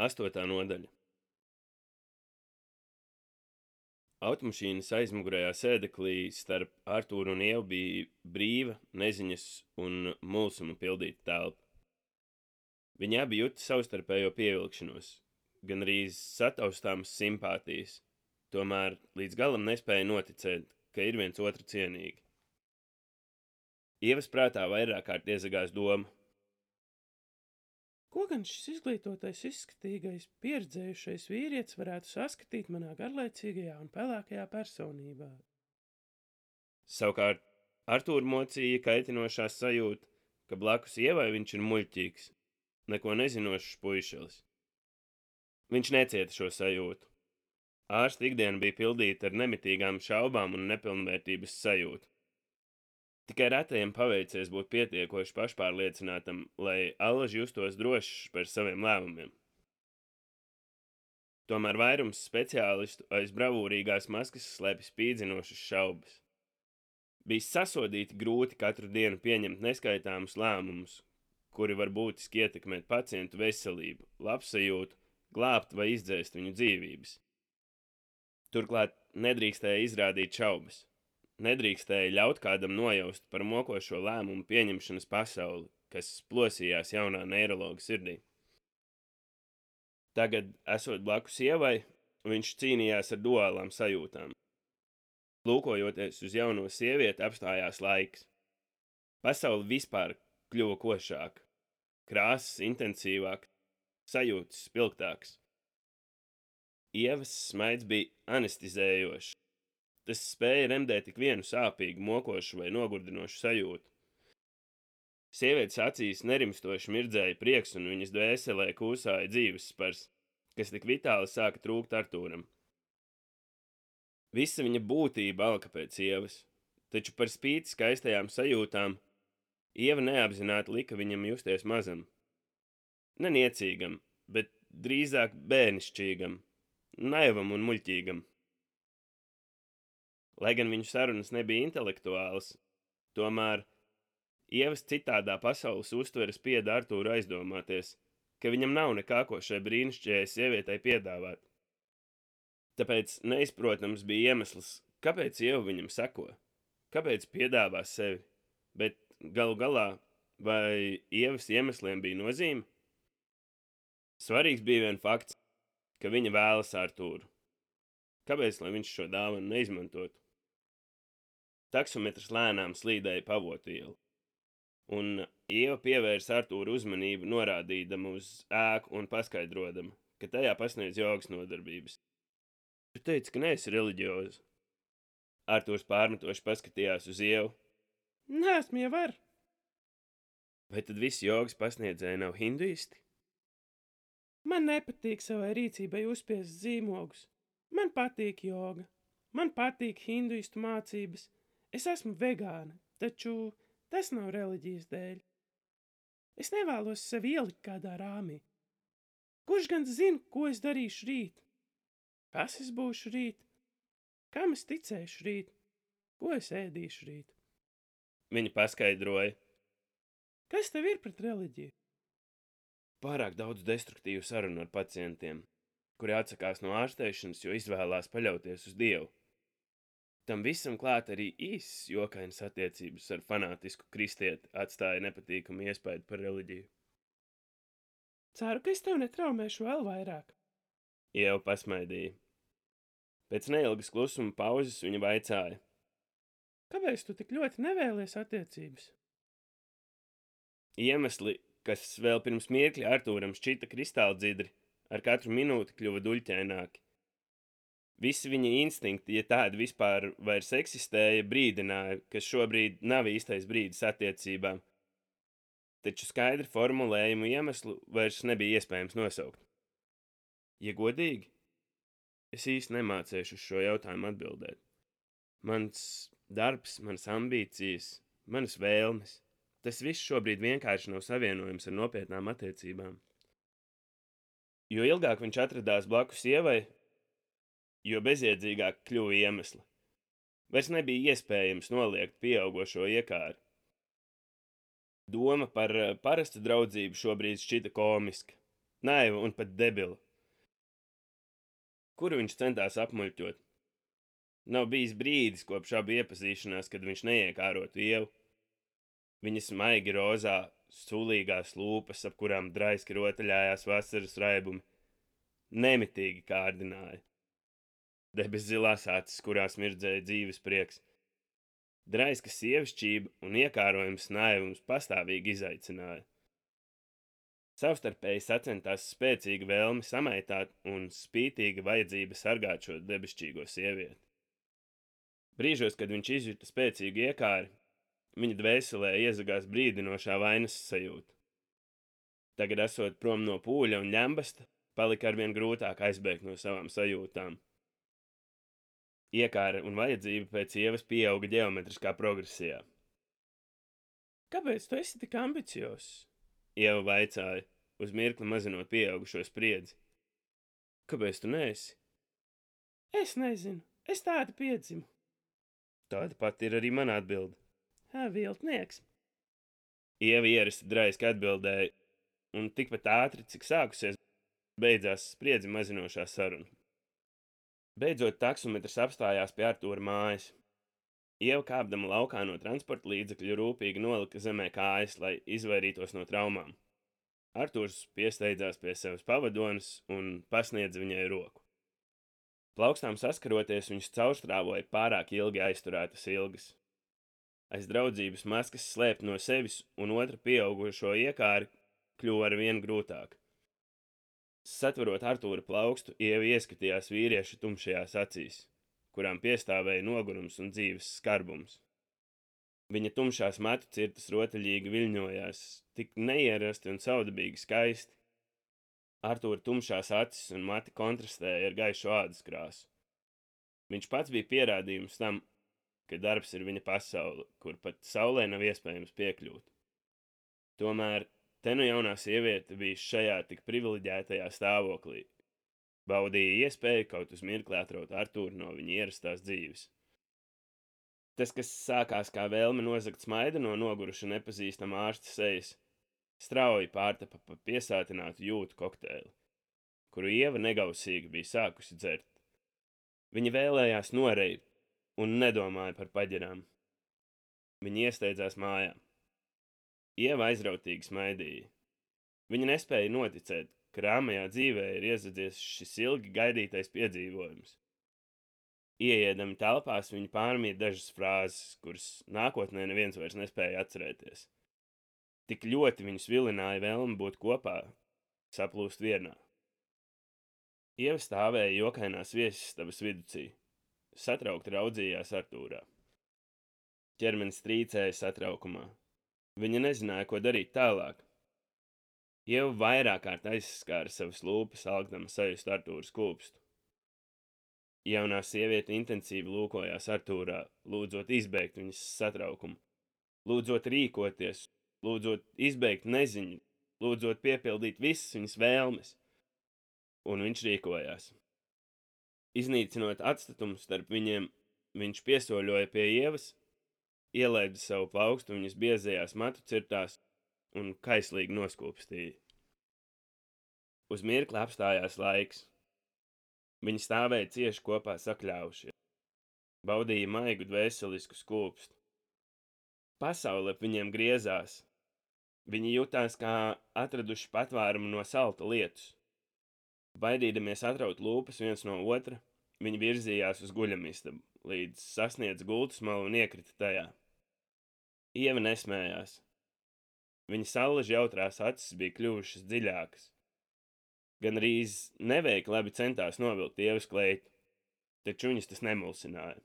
8. nodaļa. Automašīnas aizmugurējā sēdeklī starp Artūru un Ievu bija brīva, neziņas un mulsuma pildīta telpa. Viņi abi juta savstarpējo pievilkšanos, gan arī sataustāmas simpātijas, tomēr līdz galam nespēja noticēt, ka ir viens otru cienīgi. Ievas prātā vairāk kārt iezagās doma. Ko gan šis izglītotais, izskatīgais, pieredzējušais vīrietis varētu saskatīt manā garlaicīgajā un pelēkajā personībā? Savukārt Artūru mocīja kaitinošā sajūta, ka blakus Ievai viņš ir muļķīgs, neko nezinošs puišelis. Viņš necieta šo sajūtu. Ārsta ikdiena bija pildīta ar nemitīgām šaubām un nepilnvērtības sajūtu. Tikai retajam paveicies būt pietiekoši pašpārliecinātam, lai allaž justos drošs par saviem lēmumiem. Tomēr vairums speciālistu aiz bravūrīgās maskas slēpj spīdzinošas šaubas. Bija sasodīti grūti katru dienu pieņemt neskaitāmus lēmumus, kuri var būtiski ietekmēt pacientu veselību, labsajūtu, glābt vai izdzēst viņu dzīvības. Turklāt nedrīkstēja izrādīt šaubas. Nedrīkstēja ļaut kādam nojaust par mokošo lēmumu pieņemšanas pasauli, kas plosījās jaunā neirologa sirdī. Tagad, esot blakus Ievai, viņš cīnījās ar duālām sajūtām. Lūkojoties uz jauno sievieti, apstājās laiks. Pasaule vispār kļuva košāka, krāsas intensīvākas, sajūtas spilgtākas. Ievas smaids bija anestizējošs. Tas spēja remdēt tik vienu sāpīgu, mokošu vai nogurdinošu sajūtu. Sievietes acīs nerimstoši mirdzēja prieks un viņas dvēselē kūsāja dzīves spars, kas tik vitāli sāka trūkt Artūram. Visa viņa būtība alka pēc Ievas, taču par spīti skaistajām sajūtām Ieva neapzināti lika viņam justies mazam. Neniecīgam, bet drīzāk bērnišķīgam, naivam un muļķīgam. Lai gan viņu sarunas nebija intelektuālas, tomēr Ievas citādā pasaules uztveres spieda Artūru aizdomāties, ka viņam nav nekā, ko šai brīnišķīgajai sievietei piedāvāt. Tāpēc neizprotams bija iemesls, kāpēc Ieva viņam seko, kāpēc piedāvā sevi, bet galu galā, vai Ievas iemesliem bija nozīme? Svarīgs bija vien fakts, ka viņa vēlas Artūru. Kāpēc, lai viņš šo dāvanu neizmantotu? Taksometrs lēnām slīdēja Pavotu ielu, un Ieva pievērsa Artūru uzmanību, norādīdama uz ēku un paskaidrodama, ka tajā pasniedz jogas nodarbības. Tu teici, ka neesi reliģioza. Artūrs pārmetoši paskatījās uz Ievu. Neesmu jau var. Vai tad visi jogas pasniedzēji nav hinduisti? Man nepatīk savai rīcībai uzspiest zīmogus. Man patīk joga. Man patīk hinduistu mācības. Es esmu vegāna, taču tas nav reliģijas dēļ. Es nevēlos sevi ielikt kādā rāmī. Kurš gan zina, ko es darīšu rīt? Kas es būšu rīt? Kam es ticēšu rīt? Ko es ēdīšu rīt? Viņa paskaidroja. Kas tev ir pret reliģiju? Pārāk daudz destruktīvu sarunu ar pacientiem, kuri atsakās no ārstēšanas, jo izvēlās paļauties uz Dievu. Tam visam klāt arī īsas jokainas attiecības ar fanātisku kristieti atstāja nepatīkamu iespaidu par reliģiju. Ceru, ka es tev netraumēšu vēl vairāk. Ieva pasmaidīja. Pēc neilgas klusuma pauzes viņa vaicāja. Kāpēc tu tik ļoti nevēlies attiecības? Iemesli, kas vēl pirms mirkļa Artūram šķita kristāldzidri, ar katru minūti kļuva duļķaināki. Visi viņa instinkti, ja tādi vispār vairs eksistēja, brīdināja, ka šobrīd nav īstais brīdis attiecībām. Taču skaidri formulējumu iemeslu vairs nebija iespējams nosaukt. Ja godīgi, es īsti nemācēšu uz šo jautājumu atbildēt. Mans darbs, manas ambīcijas, manas vēlmes, tas viss šobrīd vienkārši nav savienojams ar nopietnām attiecībām. Jo ilgāk viņš atradās blakus Ievai, jo bezjēdzīgāk kļuva iemesli. Vairs nebija iespējams noliegt pieaugošo iekāri. Doma par parastu draudzību šobrīd šķita komiska. naiva un pat debila. Kuru viņš centās apmuļķot? Nav bijis brīdis kopš abu iepazīšanās, kad viņš neiekārotu Ievu. Viņas maigi rozā, sulīgās lūpas, ap kurām draiski rotaļājās vasaras raibumi, nemitīgi kārdināja. Debes zilās acis, kurās mirdzēja dzīves prieks. Draiska sievišķība un iekārojums naivums pastāvīgi izaicināja. Savstarpēji sacentās spēcīga vēlme samaitāt un spītīga vajadzība sargāt šo debesšķīgo sievieti. Brīžos, kad viņš izjuta spēcīgu iekāri, viņa dvēselē iezagās brīdinošā vainas sajūta. Tagad, esot prom no pūļa un ļembasta, palika arvien grūtāk aizbēgt no savām sajūtām. Iekāra un vajadzība pēc Ievas pieauga ģeometriskā progresijā. Kāpēc tu esi tik ambiciozs? Ieva vaicāja, uz mirkli mazinot pieaugušo spriedzi. Kāpēc tu neesi? Es nezinu, es tādu piedzimu. Tāda pati ir arī mana atbilde. Viltnieks. Ieva ierasti draiski atbildēja, un tikpat ātri, cik sākusies, beidzās spriedzi mazinošā saruna. Beidzot, taksometrs apstājās pie Artūra mājas. Ieva kāpdama laukā no transporta līdzekļu rūpīgi nolika zemē kājas, lai izvairītos no traumām. Artūrs piesteidzās pie sevis pavadonas un pasniedza viņai roku. Plaukstām saskaroties, viņš caurstrāvoja pārāk ilgi aizturētas ilgas. Aiz draudzības maskas slēpt no sevis un otra pieaugušo iekāri kļuva arvien grūtāk. Satverot Artūra plaukstu, Ieva ieskatījās vīrieša tumšajās acīs, kurām piestāvēja nogurums un dzīves skarbums. Viņa tumšās matu cirtas rotaļīgi viļņojās, tik neierasti un saudabīgi skaisti. Artūra tumšās acis un mati kontrastēja ar gaišu ādas krāsu. Viņš pats bija pierādījums tam, ka darbs ir viņa pasaule, kur pat saulē nav iespējams piekļūt. Tomēr te nu jaunā sieviete bija šajā tik privileģētajā stāvoklī. Baudīja iespēju kaut uz mirkli atraut Artūru no viņa ierastās dzīves. Tas, kas sākās kā vēlme nozagt smaidu no noguruša nepazīstama ārsta sejas, strauji pārtapa pa piesātinātu jūtu kokteili, kuru Ieva negausīgi bija sākusi dzert. Viņa vēlējās noreibt un nedomāja par paģirām. Viņa iesteidzās mājā. Ieva aizrautīgi smaidīja. Viņa nespēja noticēt, ka rāmajā dzīvē ir iezadzies šis ilgi gaidītais piedzīvojums. Ieiedami telpās, viņa pārmīja dažas frāzes, kuras nākotnē neviens vairs nespēja atcerēties. Tik ļoti viņus vilināja vēlme būt kopā, saplūst vienā. Ieva stāvēja jokainās viesistabas viducī. Satraukti raudzījās Artūrā. Ķermenis trīcēja satraukumā. Viņa nezināja, ko darīt tālāk. Ieva vairāk kārt aizskāra savas lūpas, algdama sajust Artūra skūpstu. Jaunā sieviete intensīvi lūkojās Artūrā, lūdzot izbeigt viņas satraukumu, lūdzot rīkoties, lūdzot izbeigt neziņu, lūdzot piepildīt visas viņas vēlmes. Un viņš rīkojās. Iznīcinot atstatumu starp viņiem, viņš piesoļoja pie Ievas, ielaida savu plaukstu viņas biezajās matu cirtās un kaislīgi noskūpstīja. Uz mirkli apstājās laiks. Viņi stāvēja cieši kopā sakļāvušie. Baudīja maigu dvēselisku skūpstu. Pasaule ap viņiem griezās. Viņi jutās kā atraduši patvērumu no salta lietus. Baidīdamies atraut lūpas viens no otra, viņi virzījās uz guļamistabu, līdz sasniedz gultas malu un iekrita tajā. Ieva nesmējās. Viņa saulaži jautrās acis bija kļuvušas dziļākas. Gan arī neveikli labi centās novilkt Ievas kleitu, taču viņas tas nemulsināja.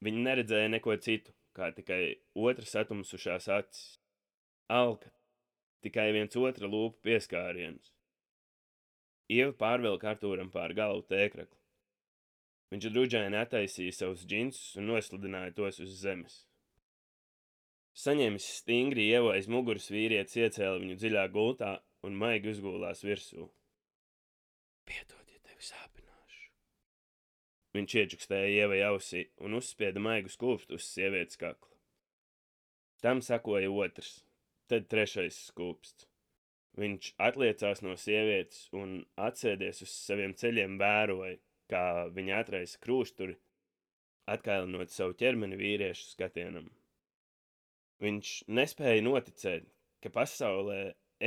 Viņa neredzēja neko citu, kā tikai otra satumsušās acis. Alka, tikai viens otra lūpa pieskārienus. Ieva pārvilka Artūram pār galvu tēkrakli. Viņš druģaini attaisīja savus džinsus un noslidināja tos uz zemes. Saņēmis stingri Ievu aiz muguras, vīrietis iecēla viņu dziļā gultā un maigi uzgulās virsū. Piedod, ja tevi sāpināšu. Viņš iečukstēja Ievai ausī un uzspieda maigu skūpstu uz sievietes kakla. Tam sakoja otrs, tad trešais skūpsts. Viņš atliecās no sievietes un atsēdies uz saviem ceļiem vēroja, kā viņa atraisa krūsturi, atkailinot savu ķermeni vīriešu skatienam. Viņš nespēja noticēt, ka pasaulē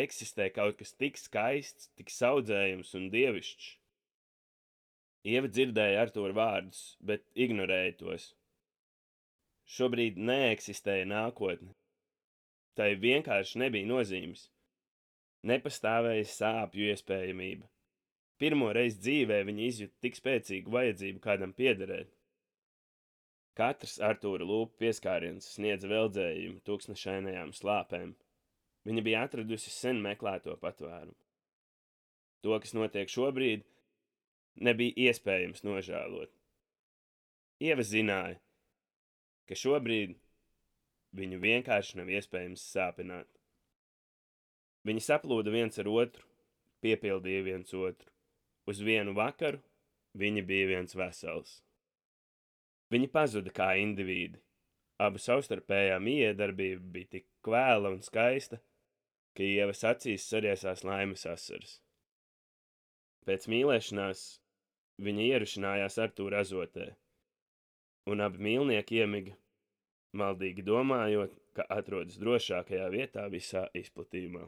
eksistē kaut kas tik skaists, tik saudzējams un dievišķs. Ieva dzirdēja Artūra vārdus, bet ignorēja tos. Šobrīd neeksistēja nākotne. Tai vienkārši nebija nozīmes. Nepastāvēja sāpju iespējamība. Pirmo reizi dzīvē viņa izjuta tik spēcīgu vajadzību kādam piederēt. Katrs Artūra lūpu pieskāriens sniedza veldzējumu tūkstnešainajām slāpēm. Viņa bija atradusi sen meklēto patvērumu. To, kas notiek šobrīd, nebija iespējams nožēlot. Ieva zināja, ka šobrīd viņu vienkārši nav iespējams sāpināt. Viņi saplūda viens ar otru, piepildīja viens otru. Uz vienu vakaru viņi bija viens vesels. Viņi pazuda kā indivīdi. Abu savstarpējā miedarbība bija tik kvēla un skaista, ka Ievas acīs sariesās laimes asaras. Pēc mīlēšanās viņa ierušinājās Artūra azotē, un abi mīlnieki iemiga, maldīgi domājot, ka atrodas drošākajā vietā visā izplatījumā.